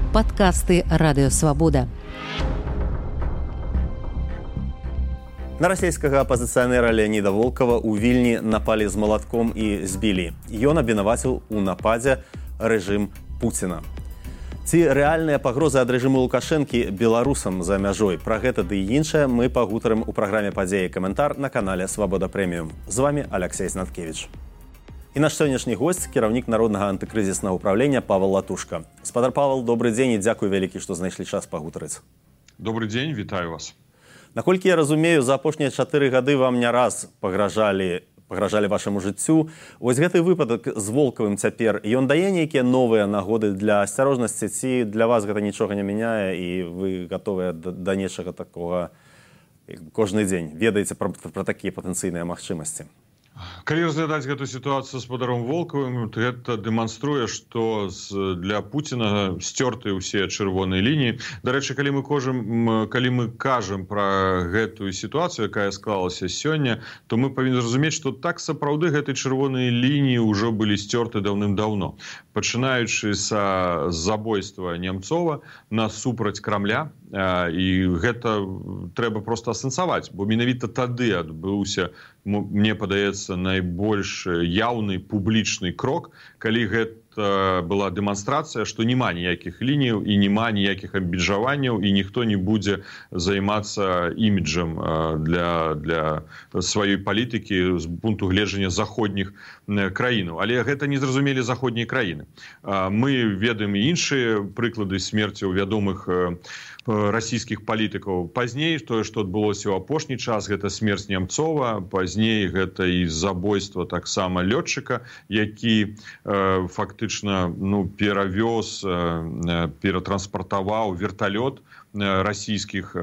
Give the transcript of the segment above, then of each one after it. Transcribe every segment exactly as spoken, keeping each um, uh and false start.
Падкасты Радыё Свабода. На расійскага апазіцыянера Леаніда Волкова ў Вільні напалі з малатком і збілі. Ён абвінаваціў у нападзе рэжым Пуціна. Ці рэальныя пагрозы ад рэжыму Лукашэнкі беларусам за мяжой? Пра гэта ды і іншае мы пагутарым у праграме «Падзеі» каментар на канале «Свабода Прэміум». З вами Алексей Знаткевич. І наш сённяшні госць – кіраўнік Народнага антыкрызіснага ўправлення Павел Латушка. Спадар Павел, добрый дзень і дзякуй вялікі, што знайшлі час пагутарыць. Добрый дзень, вітаю вас. Наколькі я разумею, за апошнія чатыры гады вам не раз пагражалі, пагражалі вашаму жыццю. Вось гэты выпадак з Волкавым цяпер, ён дае нейкія новыя нагоды для асцярожнасці, ці для вас гэта нічога не мяняе і вы гатовыя да, да нечага такога кожны дзень? Ведаеце пра, пра такія патэнцыйныя магчымасці? Калі разглядаць гэту сітуацыю з спадаром Волкавым, то гэта дэманструе, што для Пуціна сцёрты ўсе чырвоныя лініі. Дарэчы, калі мы кажам, калі мы кажам пра гэтую сітуацыю, якая склалася сёння, то мы павінны зразумець, што так сапраўды гэтай чырвоныя лініі ўжо былі сцёрты даўным-даўно. Пачынаючы са забойства Немцова насупраць Крамля, і гэта трэба проста асэнсаваць, бо менавіта тады адбыўся, мне падаецца, найбольш яўны публічны крок, калі гэта была дэманстрацыя, што няма ніякіх лініяў і няма ніякіх абмежаванняў і ніхто не будзе займацца іміджам для, для сваёй палітыкі з пункту гледжання заходніх краінаў. Але гэта не зразумелі заходнія краіны. Мы ведаем і іншыя прыклады смерцяў вядомых расійскіх палітыкаў. Пазней тое, што адбылося ў апошні час, гэта смерць Немцова, пазней гэта і забойства таксама лётчыка, які э, фактычна ну, перавёз, э, ператранспартаваў верталёт расійскіх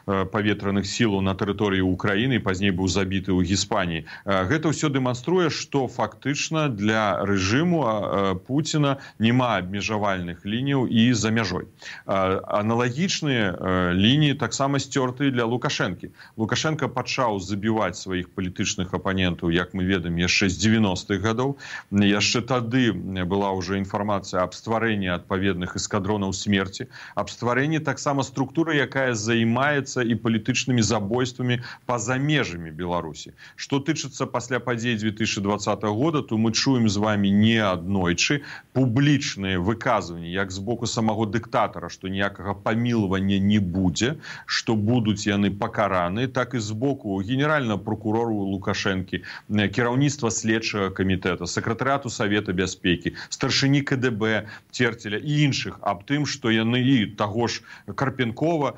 паветраных сілаў на тэрыторыі Украіны, пазней быў забіты ў Гіспаніі. Гэта ўсё дэманструе, што фактычна для рэжыму Пуціна няма абмежавальных лініяў і за мяжой. Аналагічныя лініі таксама сцёртыя для Лукашэнкі. Лукашенко пачаў забіваць сваіх палітычных апанентаў, як мы ведаем, яшчэ з дзевяностых гадоў. Яшчэ тады была ўжо інфармацыя аб стварэнні адпаведных эскадронаў смерці, аб стварэнні таксама структура, якая займаецца і палітычнымі забойствамі па-за межамі Беларусі. Што тычыцца пасля падзей две тысячи двадцатого года, то мы чуем з вами не аднойчы публічныя выказванні, як з боку самого дыктатара, што ніякага памілавання не будзе, што будуць яны пакараны, так і з боку генеральнага прокурору Лукашэнкі, кіраўніцтва следчага камітэта, сакратарыяту Савета бяспекі, старшыні ка дэ бэ Церцеля і іншых аб тым, што яны і таго ж Карпенкова,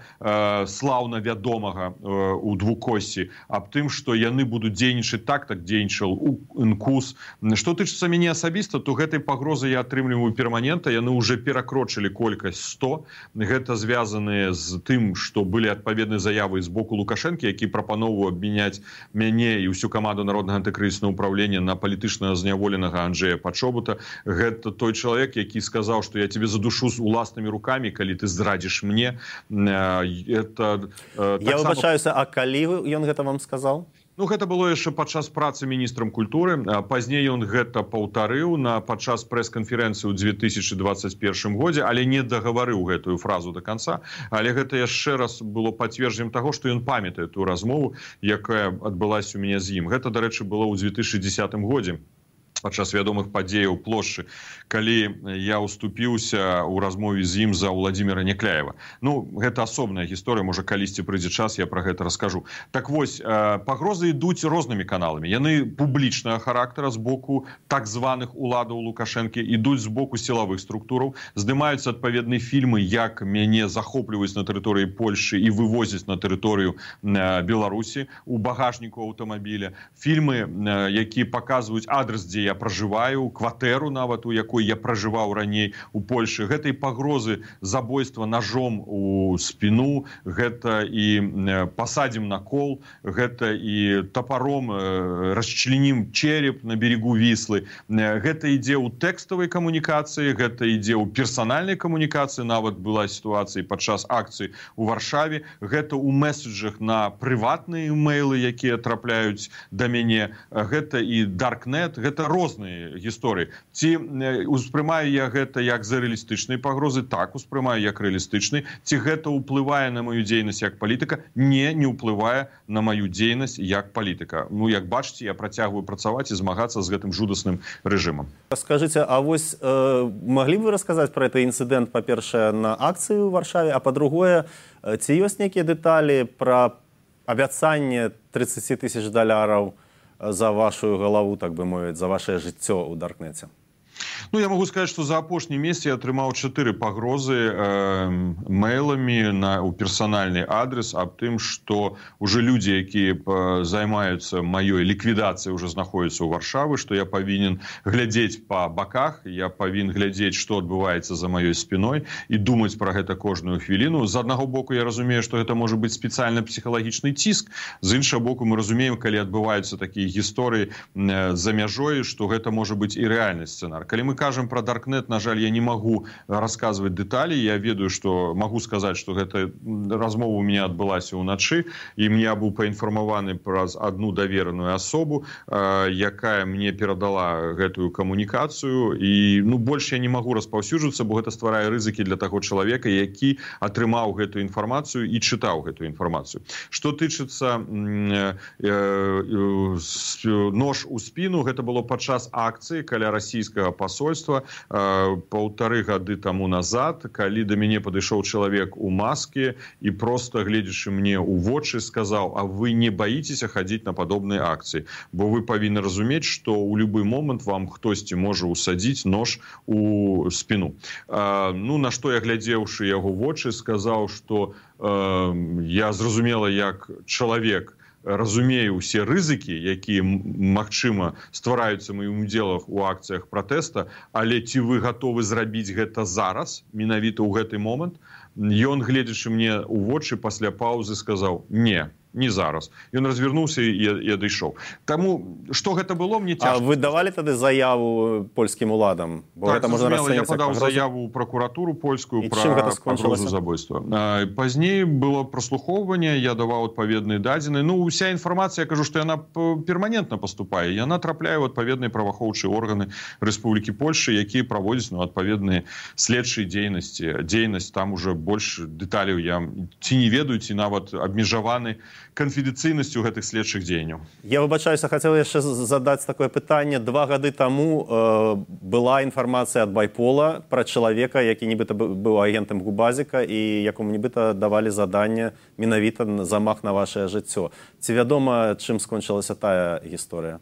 слаўна вядомага у двукоссі, аб тым, што яны будуць дзейнічаць так, так дзейнічаў УНКУС. Што тычыцца мяне асабіста, то гэтай пагрозы я атрымліваю перманента, яны ўжо перакрочылі колькасць сто. Гэта звязаныя з тым, што былі адпаведныя заявы з боку Лукашэнкі, які прапаноўваў абмяняць мяне і ўсю каманду Народнага антыкрызіснага ўправлення на палітычна зняволенага Анджэя Пачобута. Гэта той чалавек, які сказаў, што я цябе задушу з уласнымі рукамі, калі ты зрадзіш мне. Это, э, я выбачаюся, а калі ён гэта вам сказаў? Ну, гэта было яшчэ падчас працы міністрам культуры. Пазней ён гэта паўтарыў на падчас прэс-канферэнцыі ў две тысячи двадцать первом годзе, але не дагаварыў гэтую фразу до конца. Але гэта яшчэ раз было пацверджаннем таго, што ён памятае ту размову, якая адбылася у мяне з ім. Гэта, дарэчы, было ў две тысячи десятом годзе. Падчас вядомых падзеяў плошчы, калі я уступіўся ў размове з ім за Владимира Некляева. Ну, гэта асобная гісторыя, можа, калісьці прыйдзе час, я пра гэта раскажу. Так вось, пагрозы ідуць рознымі каналамі. Яны публічнага характара з боку так званых уладаў Лукашэнкі, ідуць з боку сілавых структураў, здымаюцца адпаведныя фільмы, як мяне захопліваюць на тэрыторыі Польшы і вывозяць на тэрыторыю Беларусі у багажніку аўтамабіля. Фільмы, якія паказваюць адрес, дзе я я пражываю, кватэру нават, у якой я пражываў раней у Польшы. Гэта і пагрозы забойства ножом у спіну, гэта і пасадзім на кол, гэта і тапаром расчлянім череп на берегу Віслы. Гэта ідзе ў тэкставай камунікацыі, гэта ідзе ў персанальнай камунікацыі, нават была сітуацыя падчас акцыі у Варшаве, гэта ў меседжах на прыватныя имейлы, якія трапляюць да мяне, гэта і даркнет, гэта розныя гісторыі. Ці успрымаю я гэта як за рэалістычныя пагрозы? Так, успрымаю як рэалістычны. Ці гэта ўплывае на маю дзейнасць як палітыка? Не, не ўплывае на маю дзейнасць як палітыка. Ну, як бачыце, я працягваю працаваць і змагацца з гэтым жудасным рэжымам. Скажыце, а вось э, маглі б вы расказаць пра гэты інцыдэнт, па-першае, на акцыі ў Варшаве, а па-другое, ці ёсць нейкія дэталі пра абяцанне тридцать тысяч даляраў за вашу галаву, так бы мовіць, за ваше жыццё ў даркнеце? Ну, я могу сказать, что за апошні месяц я атрымаў чатыры пагрозы э, мэйламі на у персанальны адрес аб тым, што уже людзі, якія займаюцца маёй ліквідацыяй, уже знаходзяцца ў Варшавы, што я павінен глядзець па баках, я павінен глядзець, што адбываецца за маёй спіной і думаць пра гэта кожную хвіліну. З аднаго боку я разумею, што гэта можа быць спецыяльны псіхалагічны ціск. З іншага боку мы разумеем, калі адбываюцца такія гісторыі э, за мяжой, што гэта можа быць і рэальны сцэнар. Калі мы кажам пра Даркнет, на жаль, я не магу расказваць дэталі. Я ведаю, што магу сказаць, што гэта размова у меня адбылася ўначы, і мне быў паінфармаваны праз адну давераную асобу, э, якая мне перадала гэтую камунікацыю. І ну, больш я не магу распаўсюджвацца, бо гэта стварае рызыкі для таго чалавека, які атрымаў гэтую інфармацыю і чытаў гэтую інфармацыю. Што тычыцца э, э, э, нож у спіну, гэта было падчас акцыі каля расійскага посольства э, паўтары гады таму назад, калі да мяне падышоў чалавек у маске і просто, гледзячы мне ў вочы, сказаў: а вы не баіцеся хадзіць на падобныя акцыі, бо вы павінны разумець, што ў любы момант вам хтосьці можа ўсадзіць нож у спіну. Э, ну, на што я, глядзеўшы яго вочы, сказаў, што э, я зразумела, як чалавек разумею ўсе рызыкі, якія, магчыма, ствараюцца маім удзелах у акцыях пратэста, але ці вы гатовы зрабіць гэта зараз, менавіта ў гэты момант? Ён, гледзячы мне ў вочы, пасля паўзы сказаў: не, не зараз. Ён развярнуўся і, і адышоў. Таму, што гэта было, мне цяжка. А вы давалі тады заяву польскім уладам? Бо так, гэта можна зразумела, я падаў заяву ў пракуратуру польскую пра пагрозу забойства. Пазней было праслухоўванне, я даваў адпаведныя дадзеныя. Ну, уся інфармацыя, я кажу, што яна перманентна паступае. Яна трапляе ў адпаведныя праваахоўчыя органы Рэспублікі Польшчы, якія праводзяць ну, адпаведныя следчыя дзейнасці. Дзейнасць там уже больш дэталяў я ці не ведаю, ці нават абмежаваны канфідэнцыйнасцю гэтых следчых дзеянняў. Я выбачаюся, хацеў яшчэ задаць такое пытанне. Два гады таму э, была інфармацыя ад Байпола пра чалавека, які нібыта быў агентам Губазіка і якому нібыта давалі заданне менавіта замах на вашае жыццё. Ці вядома, чым скончылася тая гісторыя?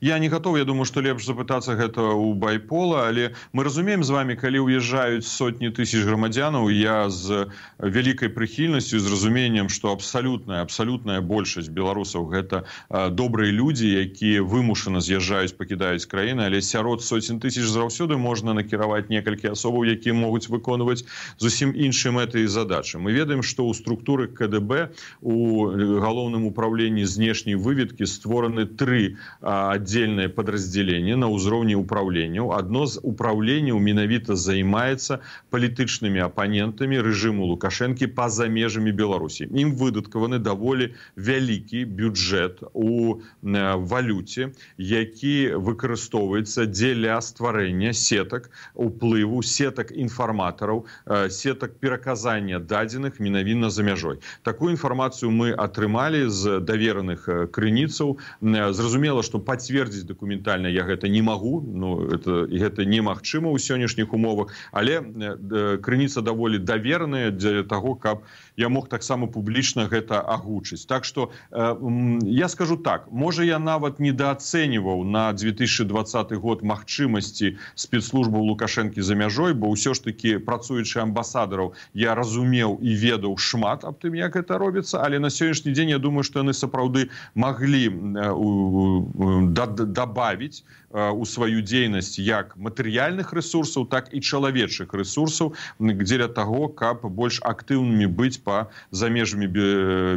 Я не готов, я думаю, што лепш запытацца гэта ў Байпола, але мы разумеем з вами, калі ўязджаюць сотні тысяч грамадзянаў, я з вялікай прыхільнасцю, з разуменнем, што абсалютная, абсалютная большасць беларусаў гэта а, добрыя людзі, якія вымушана з'язджаюць, пакідаюць краіны, але сярод сотень тысяч заўсёды можна накіраваць некалькі асобаў, якія могуць выконваць зусім іншыя мэты і задачы. Мы ведаем, што ў структуры ка дэ бэ у галоўным управленні знешняй выведкі створаны тры а, отдельное подразделение на ўзроўні управленняў. Одно з управленняў менавіта займаецца палітычнымі апанентамі рэжыму Лукашэнкі па-за межамі Беларусі. Ім выдаткаваны даволі вялікі бюджэт у валюце, які выкарыстоўваецца дзеля стварэння сетак уплыву, сетак інфарматараў, сетак пераказання дадзеных менавіта за мяжой. Такую інфармацыю мы атрымалі з давераных крыніцаў. Зразумела, што пацвердзіць дакументальна я гэта не магу, ну, это, гэта немагчыма ў сённяшніх умовах, але э, крыніца даволі даверная для таго, каб я мог таксама публічна гэта агучыць. Так што э, я скажу так, можа я нават недаацэньваў на две тысячи двадцаты год магчымасці спецслужбаў Лукашэнкі за мяжой, бо ўсё ж такі працуючы амбасадараў я разумеў і ведаў шмат аб тым, як гэта робіцца, але на сённяшні дзень я думаю, што яны сапраўды маглі э, у добавить у сваю дзейнасць як матэрыяльных ресурсаў, так і чалавечых ресурсаў дзеля таго, каб больш актыўнымі быць па за межамі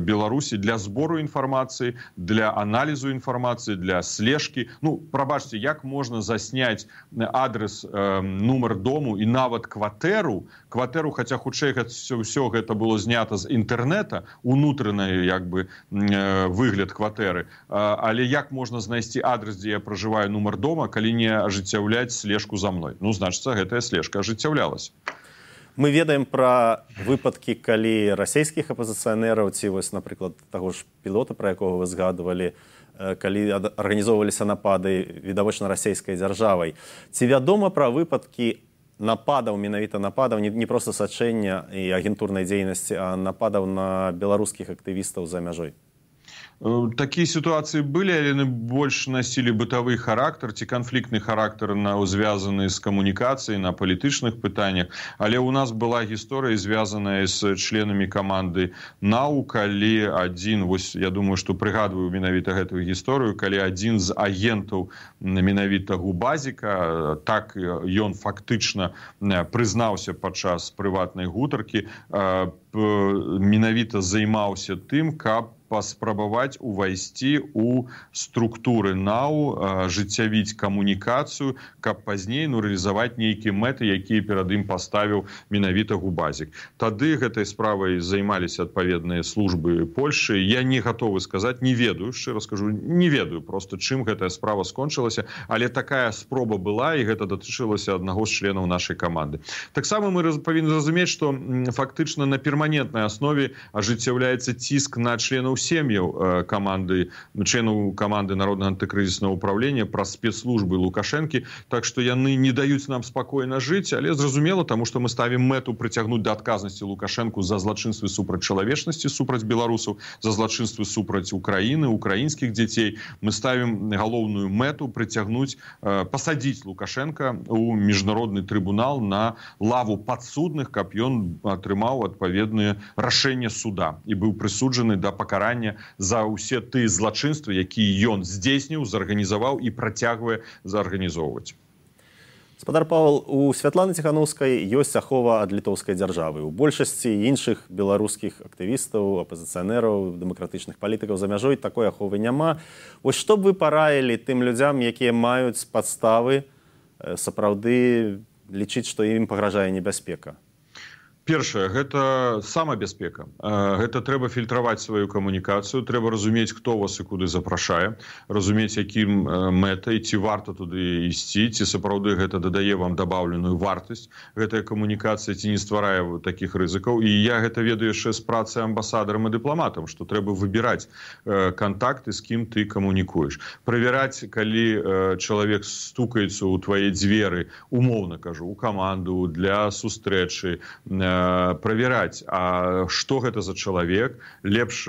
Беларусі для збору інфармацыі, для аналізу інфармацыі, для слежкі. Ну, прабачце, як можна засняць адрес, э, нумар дому і нават кватэру, кватэру, хаця хутчэй ўсё гэта было знята з інтэрнэта, унутраны як бы э, выгляд кватэры, э, але як можна знайсці адрес адрес, дзе я пражываю, нумар дома, калі не ажыццяўляць слежку за мной. Ну, значыцца, гэтая слежка ажыццяўлялася. Мы ведаем пра выпадкі, калі расійскіх апазіцыянераў, ці вось, напрыклад, таго ж пілота, пра якога вы згадывалі, калі арганізоўваліся напады відавочна расійскай дзяржавай. Ці вядома пра выпадкі нападаў, менавіта нападаў, не, не проста сачэння і агентурнай дзейнасці, а нападаў на беларускіх актывістаў за мяжой? Такія сітуацыі былі, але яны больш насілі бытавы характар ці канфліктны характар, звязаны з камунікацыяй на палітычных пытаннях. Але ў нас была гісторыя, звязаная з членамі каманды НАУ, калі адзін, вось я думаю, што прыгадваю менавіта гэтую гісторыю, калі адзін з агентаў менавіта Губазіка, так ён фактычна прызнаўся падчас прыватнай гутаркі, менавіта займаўся тым, каб паспрабаваць увайсці ў структуры НАУ, ажыццявіць камунікацыю, каб пазней ну, рэалізаваць нейкія мэты, якія перад ім паставіў менавіта Губазік. Тады гэтай справай займаліся адпаведныя службы Польшчы. Я не гатовы сказаць, не ведаю, шчыра скажу, не ведаю проста, чым гэтая справа скончылася, але такая спроба была, і гэта датычылася аднаго з членаў нашай каманды. Таксама мы павінны разумець, што фактычна на перманентнай аснове ажыццяўляецца ціск на членаў сем'яў каманды, членаў каманды Народнага антыкрызіснага ўправлення праз спецслужбы Лукашэнкі, так што яны не даюць нам спакойна жыць, але зразумела, таму што мы ставім мэту прыцягнуць да адказнасці Лукашэнку за злачынствы супраць чалавечнасці, супраць беларусаў, за злачынствы супраць Украіны, украінскіх дзяцей. Мы ставім галоўную мэту прыцягнуць, пасадзіць Лукашэнка ў міжнародны трыбунал на лаву падсудных, каб ён атрымаў адпаведныя рашэнне суда і быў прысуджаны да пакарання за ўсе тыя злачынствы, якія ён здзейсніў, зарганізаваў і працягвае зарганізоўваць. Спадар Павел, у Святланы Ціханаўскай ёсць ахова ад літоўскай дзяржавы. У большасці іншых беларускіх актывістаў, апазіцыянераў, дэмакратычных палітыкаў за мяжой такой аховы няма. Вось што б вы параілі тым людзям, якія маюць падставы сапраўды лічыць, што ім пагражае небяспека? Першае, гэта самабяспека. Гэта трэба фільтраваць сваю камунікацыю, трэба разумець, хто вас і куды запрашае, разумець, якім мэтай, ці варта туды ісці, ці сапраўды гэта дадае вам дабаўленую вартасць, гэтая камунікацыя, ці не стварае такіх рызыкаў. І я гэта ведаю яшчэ з працы амбасадарам і дыпламатам, што трэба выбіраць кантакты, з кім ты камунікуеш. Правяраць, калі чалавек стукаецца ў твае дзверы, умоўна кажу, у каманду, для сустрэчы, правяраць, а што гэта за чалавек, лепш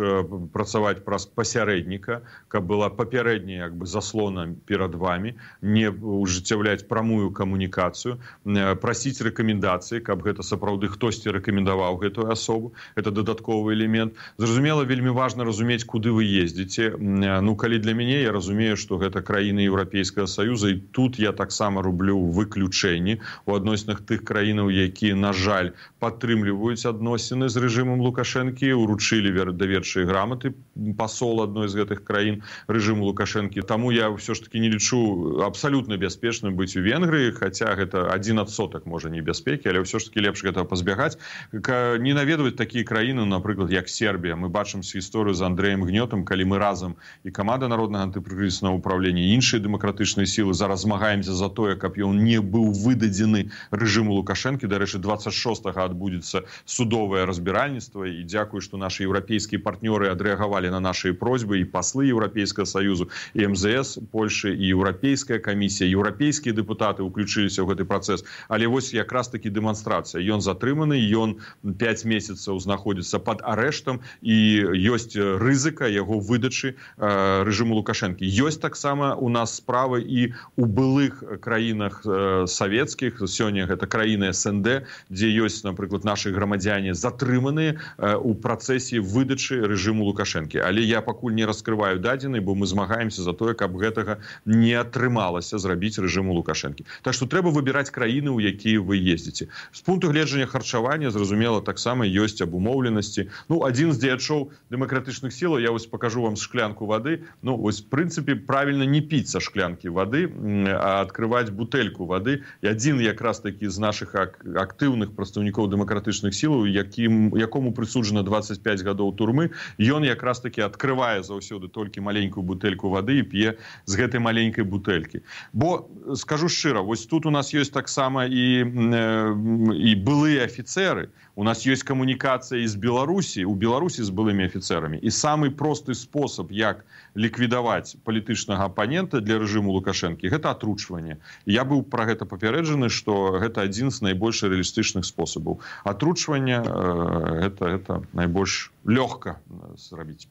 працаваць праз пасярэдніка, каб была папярэдняя як бы заслона перад вамі, не ўжыццяўляць прамую камунікацыю, прасіць рэкамендацыі, каб гэта сапраўды хтосьці рэкамендаваў гэтую асобу, гэта дадатковы элемент. Зразумела, вельмі важна разумець, куды вы ездзіце. Ну, калі для мяне, я разумею, што гэта краіны Еўрапейскага Саюза, і тут я таксама рублю выключэнні у адносінах тых краінаў, якія, на жаль, падтрымліваюць адносіны з рэжымам Лукашэнкі, уручылі даверчыя граматы пасол адной з гэтых краін рэжыму Лукашэнкі. Таму я ўсё ж таки не лічу абсалютна бяспечным быць у Венгрыі, хаця гэта адзін адсотак можа небяспекі, але ўсё ж таки лепш гэтага пазбягаць. Не наведваць такія краіны, напрыклад, як Сербія. Мы бачым гісторыю з Андрэем Гнётам, калі мы разам і каманда Народнага антыкрызіснага ўправлення, і іншыя дэмакратычныя сілы зараз змагаемся за тое, каб ён не быў выдадзены рэжыму Лукашэнкі. Дарэчы, дваццаць шостага адбудзецца судовае разбіральніцтва, і дзякую, што нашы еўрапейскія партнёры адрэагавалі на нашыя просьбы, і паслы Еўрапейскага Саюзу, і эм зэ эс Польшы, і Еўрапейская камісія, еўрапейскія дэпутаты ўключыліся ў гэты працэс. Але вось якраз такі дэманстрацыя. Ён затрыманы, ён пяць месяцаў знаходзіцца пад арэштам, і ёсць рызыка яго выдачы рэжыму Лукашэнкі. Ёсць таксама у нас справы і у былых краінах савецкіх, сёння гэта краіны эс эн дэ, дзе ёсць, напрыклад, нашы грамадзяне затрыманыя у працэсе выдачы рэжыму Лукашэнкі. Але я пакуль не раскрываю дадзены, бо мы змагаемся за тое, каб гэтага не атрымалася зрабіць рэжыму Лукашэнкі. Так што трэба выбіраць краіны, у якія вы ездзіце. З пункту гледжання харчавання, зразумела, таксама ёсць абумоўленасці. Ну, адзін з дзеячоў дэмакратычных сілаў, я вось пакажу вам шклянку вады. Ну, вось, в прынцыпе, правільна не піць са шклянкі вады, а адкрываць бутэльку вады. І адзін якраз такі з нашых актыўных прадстаўнікоў дэмакратычных дэмакратычных сілаў, якім, якому прысуджана двадцать пять гадоў турмы, ён якраз таки адкрывае заўсёды толькі маленькую бутэльку вады і п'е з гэтай маленькай бутэлькі. Бо, скажу шчыра, вось тут у нас ёсць таксама і, і былыя афіцеры, у нас ёсць камунікацыя з Беларусі, у Беларусі з былымі афіцерамі. І самы просты спосаб, як ліквідаваць палітычнага апанента для рэжыму Лукашэнкі, гэта атручванне. Я быў пра гэта папярэджаны, што гэта адзін з найбольш рэалістычных спосабаў. Атручванне э, гэта, гэта найбольш лёгка зрабіць.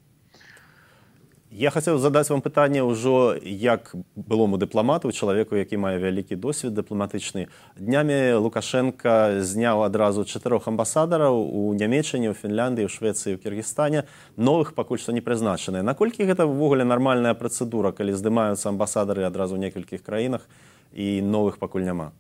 Я хацеў задаць вам пытанне ўжо як былому дыпламату, чалавеку, які мае вялікі досвед дыпламатычны. Днямі Лукашенка зняў адразу чатырох амбасадараў у Нямеччыне, у Фінляндыі, у Швецыі, у Кіргізстане. Новых пакуль што не прызначаныя. Наколькі гэта ўвогуле нармальная працэдура, калі здымаюцца амбасадары адразу ў некалькіх краінах і новых пакуль няма?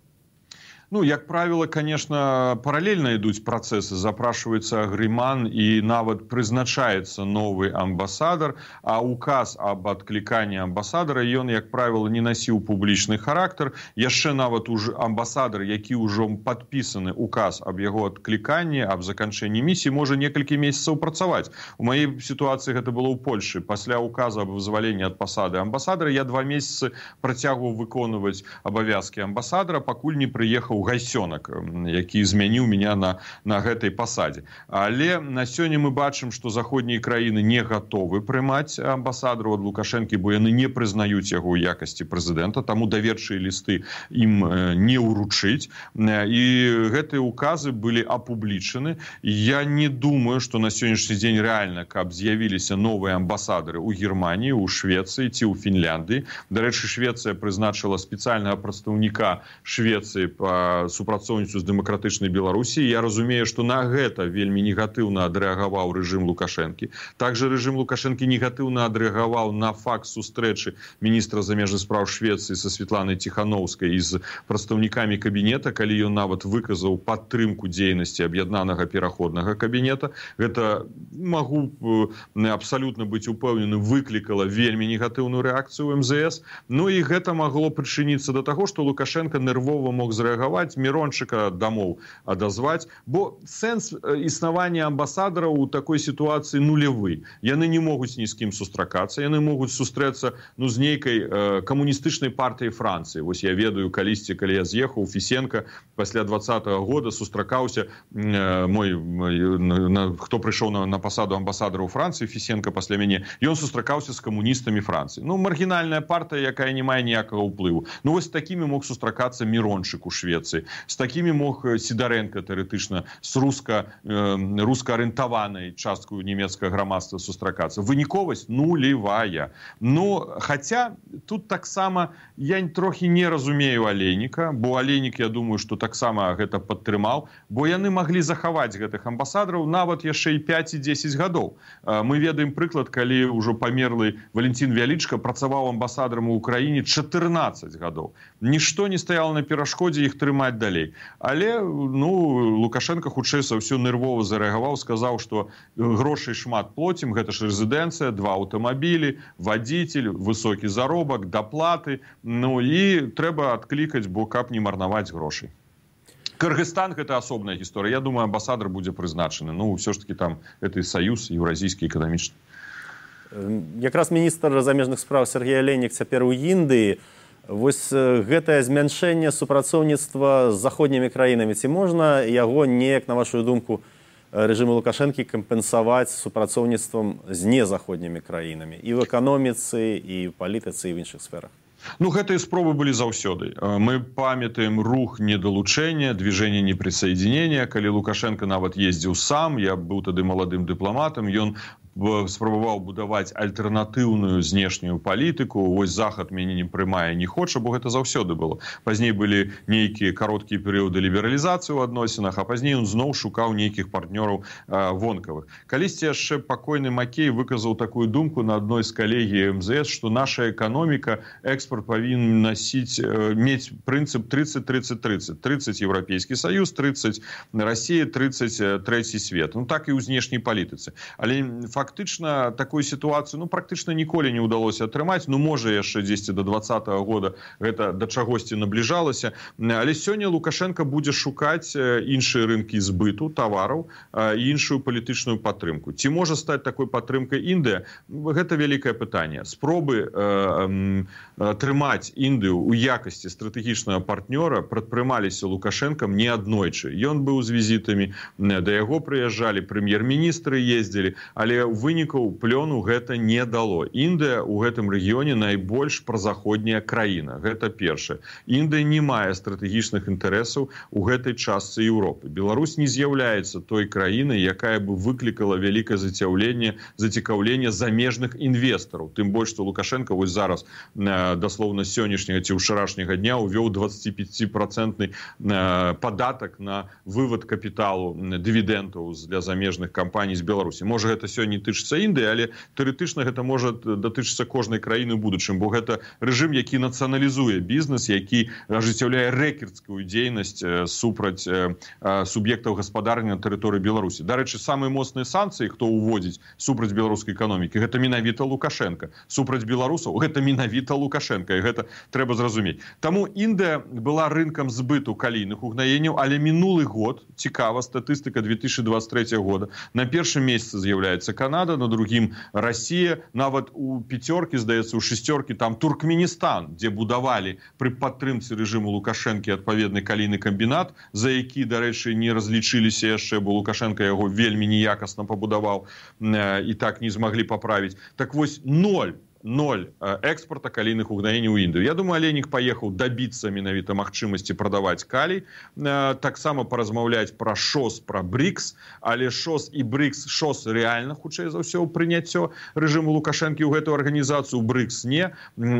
Ну, як правило, конечно, параллельно ідуць працэсы, запрашивается агрэман і нават прызначаецца новы амбасадар, а указ об адкліканні амбасадара, ён, як правило, не насіў публічны характар. Яшчэ нават уж амбасадар, які ўжо падпісаны указ об яго адкліканні, об заканчэнні місіі, можа некалькі месяцаў працаваць. У маёй сітуацыі гэта было ў Польшы. Пасля указа об вызваленні ад пасады амбасадара я два месяцы працягваў выконваць абавязкі амбасадара, пакуль не прыехаў Гайсёнак, які змяніў меня на, на гэтай пасадзе. Але на сёння мы бачым, што заходнія краіны не гатовы прымаць амбасадару ад Лукашэнкі, бо яны не прызнаюць яго ў якасці прэзідэнта, таму даверчыя лісты ім не ўручыць. І гэтыя указы былі апублічаны. Я не думаю, што на сённяшні дзень рэальна, каб з'явіліся новыя амбасадары ў Германіі, у Швецыі ці ў Фінляндыі. Дарэчы, Швецыя прызначыла спецыяльнага прадстаўніка Швецыі па супрацоўніцтву з дэмакратычнай Беларусі. Я разумею, што на гэта вельмі негатыўна адрэагаваў рэжым Лукашэнкі. Также рэжым Лукашэнкі негатыўна адрэагаваў на факт сустрэчы міністра замежных спраў Швецыі са Светланай Ціханаўскай і з прадстаўнікамі кабінета, калі ён нават выказаў падтрымку дзейнасці аб'яднанага пераходнага кабінета. Гэта, магу абсалютна быць упэўнены, выклікала вельмі негатыўную рэакцыю ў эм зэ эс. Ну і гэта магло прычыніцца да таго, што Лукашенко нервова мог зрэагаваць, Мирончыка дамоў адазваць, бо сэнс існавання амбасадараў у такой сітуацыі нулявы. Яны не могуць ні з кім сустракацца, яны могуць сустрэцца ну, з нейкай э, камуністычнай партыяй Францыі. Вось я ведаю, калісьці, калі я з'ехаў, Фісенка пасля двадцатага года сустракаўся, э, мой, на, хто прыйшоў на, на пасаду амбасадара ў Францыі, Фісенка пасля мяне, ён сустракаўся з камуністамі Францыі. Ну, маргінальная партыя, якая не мае ніякага ўплыву. Ну, вось такімі мог сустракацца Мирончык у Швецыі. З такімі мог Сідарэнка тэарэтычна з руска, э, руска-арыентаванай часткаю нямецкага грамадства сустракацца. Выніковасць нулевая. Ну, хаця тут таксама я трохі не разумею Алейніка, бо Алейнік, я думаю, што таксама гэта падтрымаў, бо яны маглі захаваць гэтых амбасадараў нават яшчэ і пяць і дзесяць гадоў. Мы ведаем прыклад, калі ўжо памерлы Валентин Вялічка працаваў амбасадарам у Украіне чатырнаццаць гадоў. Нішто не стаяла на перашкодзе іх трымаць далей. Але ну, Лукашенко хутчэй за ўсё нервова зарэагаваў, сказаў, што грошай шмат плоцім, гэта ж рэзідэнцыя, два аўтамабілі, вадзіцель, высокі заробак, даплаты, ну і трэба адклікаць, бо каб не марнаваць грошай. Кыргызстан – гэта асобная гісторыя. Я думаю, амбасадар будзе прызначаны. Ну, ўсё ж таки там гэты саюз еўразійскі эканамічны. Якраз міністр замежных спраў Сергей Алейнік цяпер у Індыі. Вось гэтае змяншэнне супрацоўніцтва з заходнімі краінамі, ці можна яго неяк, на вашу думку, рэжыму Лукашэнкі кампенсаваць супрацоўніцтвам з незаходнімі краінамі і ў эканоміцы, і ў палітыцы, і ў іншых сферах? Ну, гэтыя спробы былі заўсёды. Мы памятаем рух недалучэння, движение неприсоединения, калі Лукашенко нават ездзіў сам, я быў тады маладым дыпламатам, ён спрабаваў будаваць альтэрнатыўную знешнюю палітыку. Вось Захад мяне не прымае, не хоча, бо гэта заўсёды было. Пазней былі нейкія кароткія перыяды лібералізацыі ў адносінах, а пазней ён зноў шукаў нейкіх партнёраў э, вонкавых. Калісьці яшчэ пакойны Макей выказаў такую думку на адной з калегій эм зэ эс, што наша эканоміка, экспорт павінен насіць, э, мець прынцып тридцать тридцать тридцать. тридцать Еўрапейскі Саюз, тридцать Расія, тридцать трэці свет. Ну так і ў знешняй палітыцы. Але факт фактычна такой сітуацыі ну практычна ніколі не ўдалося атрымаць, ну можа яшчэ дзесьці до двадцатого года гэта да чагосьці набліжалася, але сёння Лукашенко будзе шукаць іншыя рынкі збыту тавараў і іншую палітычную падтрымку. Ці можа стаць такой падтрымкай Індыя? Гэта вялікае пытанне. Спробы э, э, трымаць Індыю у якасці стратэгічнага партнёра прадпрымаліся Лукашенкам не аднойчы. Ён быў з візітамі, да яго прыязджалі, прэм'ер-міністры ездзілі, але вынікаў плёну гэта не дало. Індыя ў гэтым рэгіёне найбольш празаходняя краіна. Гэта першае. Індыя не мае стратэгічных інтарэсаў у гэтай частцы Еўропы. Беларусь не з'яўляецца той краінай, якая бы выклікала вялікае зацікаўленне, зацікаўленне замежных інвестараў. Тым больш, што Лукашенко вось зараз даслоўна сённяшняга ці ўчарашняга дня увёў дваццаціпяціпрацэнтны падатак на вывод капіталу дывідэнтаў для замежных кампаній з Беларусі. Можа, гэта сёння тычыцца Індыі, але тэоретычна гэта можа датычыцца кожнай краіны ў будучым, бо гэта рэжым, які нацыяналізуе бізнес, які ажыццяўляе рэкердскую дзейнасць супраць суб'ектаў гаспадарання на тэрыторыі Беларусі. Дарэчы, самыя моцныя санкцыі, хто ўводзіць супраць беларускай эканомікі, гэта менавіта Лукашенко. Супраць беларусаў гэта менавіта Лукашенко, і гэта трэба зразумець. Таму Індыя была рынкам збыту калійных угнаенняў, але мінулы год, цікава, статыстыка две тысячи двадцать третьего года, на першым месяцы з'яўляецца Канада, на другім Расія, нават у пяцёркі, здаецца, у шестеркі там Туркменістан, дзе будавалі пры падтрымцы рэжыму Лукашэнкі адпаведны калійны камбінат, за які, дарэчы, не разлічыліся яшчэ, бо Лукашенко яго вельмі неякасна пабудаваў і так не змаглі паправіць. Так вось ноль. ноль экспорта калійных угнаенняў у Індыю. Я думаю, Аленік паехаў дабіцца менавіта магчымасці прадаваць калій, таксама паразмаўляць пра ШОС, пра БРИКС, але ШОС і БРИКС, ШОС рэальна, хутчэй за ўсё, прыняццё рэжыму Лукашэнкі ў гэтую арганізацыю, БРИКС не,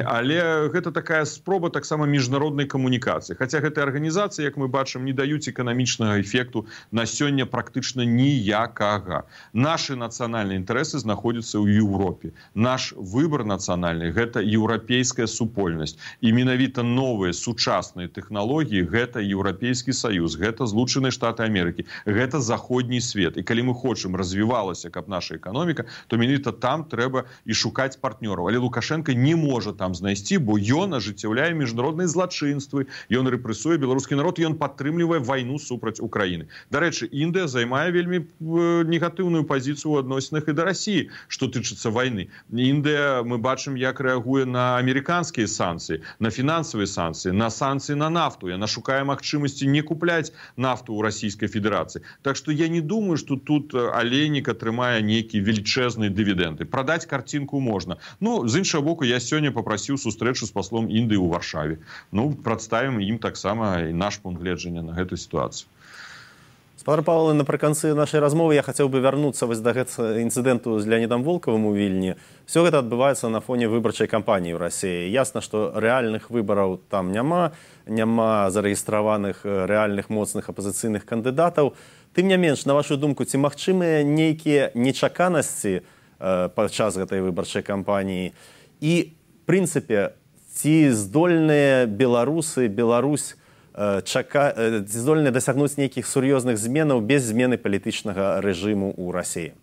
але гэта такая спроба таксама міжнароднай камунікацыі. Хаця гэтыя арганізацыі, як мы бачым, не даюць эканамічнага эфекту на сёння практычна ніякага. Нашы нацыянальныя інтарэсы знаходзяцца ў Еўропе. Наш выбар нацыянальны, гэта еўрапейская супольнасць. І менавіта новыя сучасныя тэхналогіі, гэта Еўрапейскі саюз, гэта Злучаныя Штаты Амерыкі, гэта заходні свет. І калі мы хочам развівалася, каб наша эканоміка, то менавіта там трэба і шукаць партнёраў. Але Лукашенко не можа там знайсці, бо ён ажыццяўляе міжнародныя злачынствы, ён рэпрэсуе беларускі народ, ён падтрымлівае вайну супраць Украіны. Дарэчы, Індыя займае вельмі негатыўную пазіцыю ў адносінах і да Расіі, што тычыцца вайны. Індыя, мы бачым, як рэагуе на амерыканскія санкцыі, на фінансавыя санкцыі, на санкцыі на нафту. Яна шукае магчымасці не купляць нафту ў Расійскай Федэрацыі. Так што я не думаю, што тут Аленік атрымае нейкія велічэзныя дывідэнды. Прадаць карцінку можна. Ну, з іншага боку, я сёння папрасіў сустрэчу з паслом Індыі ў Варшаве. Ну, прадставім ім таксама і наш пункт гледжання на гэтую сітуацыю. Спадар Павел, напрыканцы нашай размовы я хацеў бы вярнуцца вось да гэтага інцыдэнту з Леонідам Волковым у Вільні. Все гэта адбываецца на фоне выбарчай кампаніі ў Расіі. Ясна, што рэальных выбараў там няма, няма зарэгістраваных рэальных моцных апазіцыйных кандыдатаў. Тым не менш, на вашу думку, ці магчымыя нейкія нечаканасці падчас гэтай выбарчай кампаніі? І, в прынцыпе, ці здольныя беларусы, Беларусь Чака... здольны дасягнуць нейкіх сур'ёзных зменаў без змены палітычнага рэжыму ў Расіі?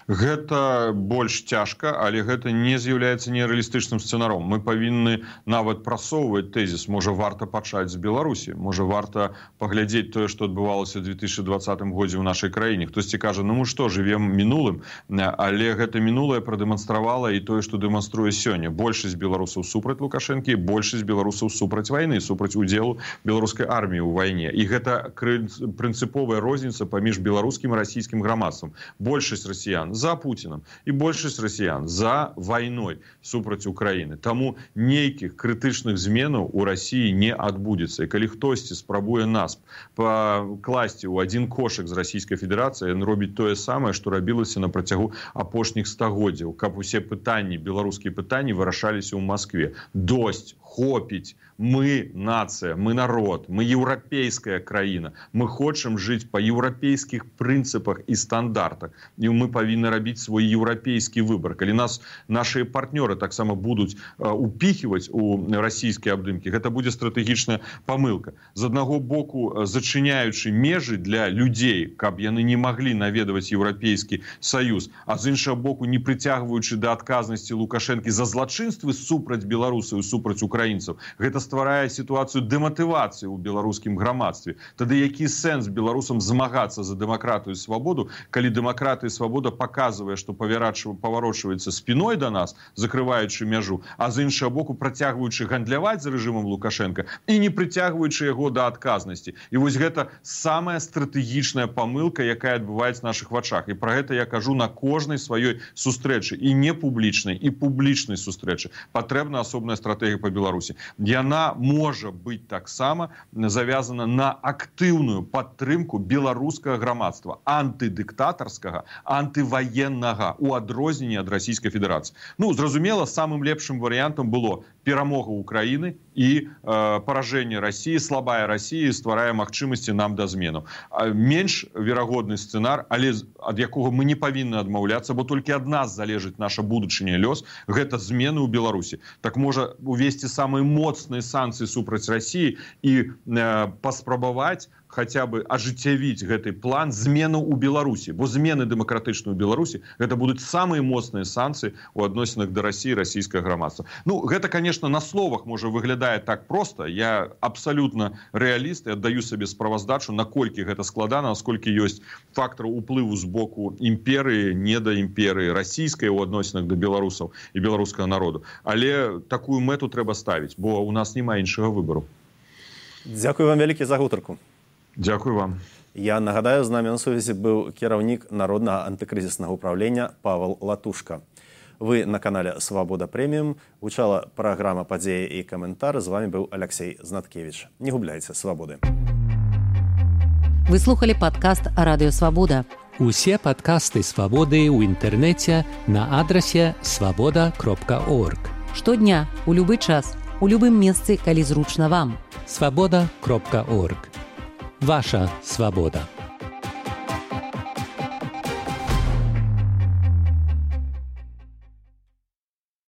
Гэта больш цяжка, але гэта не з'яўляецца нерэалістычным сцэнаром. Мы павінны нават прасоўваць тэзіс. Можа, варта пачаць з Беларусі. Можа, варта паглядзець тое, што адбывалася ў две тысячи двадцатым годзе ў нашай краіне. Хтосьці кажа, ну мы што, жывем мінулым? Але гэта мінулае прадэманстравала і тое, што дэманструе сёння. Большасць беларусаў супраць Лукашэнкі, большасць беларусаў супраць вайны, супраць удзелу беларускай арміі ў вайне. І гэта прынцыповая розніца паміж беларускім і расійскім грамадствам. Большасць расіян за Путиным і большасць расіян за вайной супраць Украіны. Таму нейкіх крытычных зменаў у Расіі не адбудзецца. І калі хтосьці спрабуе нас пакласці ў адзін кошык з Расійскай Федэрацыі, ён робіць тое самае, што рабілася на працягу апошніх стагоддзяў, каб усе пытанні, беларускія пытанні вырашаліся ў Маскве. Досць, хопіць, мы нация, мы народ, мы европейская краіна. Мы хочам жыць па еўрапейскіх прынцыпах і стандартах. І мы павінны рабіць свой еўрапейскі выбор. Калі нас нашыя партнёры таксама будуць упіхіваць у расійскія абдымкі, гэта будзе стратэгічная памылка. З аднаго боку, зачыняючы межы для людзей, каб яны не маглі наведваць Еўрапейскі Саюз, а з іншага боку, не прыцягваючы да адказнасці Лукашэнкі за злачынствы супраць беларусаў і супраць украінцаў. Гэта стварае сітуацыю дэматывацыі ў беларускім грамадстве. Тады які сэнс беларусам змагацца за дэмакратыю і свабоду, калі дэмакратыя і свабода паказвае, што паварочваецца спіной да нас, закрываючы мяжу, а з іншага боку працягваючы гандляваць з рэжымам Лукашэнка і не прыцягваючы яго да адказнасці. І вось гэта самая стратэгічная памылка, якая адбываецца на нашых вачах. І пра гэта я кажу на кожнай сваёй сустрэчы, і не публічнай, і публічнай сустрэчы. Патрэбна асобная стратэгія па Беларусі. Яна можа быць таксама завязана на актыўную падтрымку беларускага грамадства, антыдыктатарскага, антываеннага, у адрозненні ад Расійскай Федэрацыі. Ну, зразумела, самым лепшым варыянтам было перамога Украіны і э, паражэнне Расіі, слабая Расія стварае магчымасці нам да зменаў. Менш верагодны сцэнар, але ад якога мы не павінны адмаўляцца, бо толькі ад нас залежыць наша будучыня лёс, гэта змены ў Беларусі. Так можа увесці самыя моцныя санкцыі супраць Расіі і э, паспрабаваць хаця бы ажыццявіць гэты план зменаў у Беларусі, бо змены дэмакратычныя ў Беларусі гэта будуць самыя моцныя санкцыі ў адносінах да Расіі, расійскага грамадства. Ну, гэта, конечно, на словах можа выглядае так проста. Я абсалютна рэаліст і аддаю сабе справаздачу, наколькі гэта складана, насколькі ёсць фактар уплыву з боку імперыі, не да імперыі расійскай у адносінах да беларусаў і беларускага народу. Але такую мэту трэба ставіць, бо у нас няма іншага выбару. Дзякую вам вялікі за гутарку. Дзякую вам. Я нагадаю, з намі на сувязі быў кіраўнік Народнага антыкрызіснага ўправлення Павел Латушка. Вы на канале «Свобода Премиум». Гучала праграма «Падзеі і каментар». З вами быў Алексей Знаткевич. Не губляйце свабоды. Вы слухали падкаст «Радыё Свабода». Усе падкасты «Свабоды» ў інтэрнэце на адрасе свабода кропка орг. Штодня, у любы час, у любым месцы, калі зручна вам. свабода кропка орг. Ваша свобода.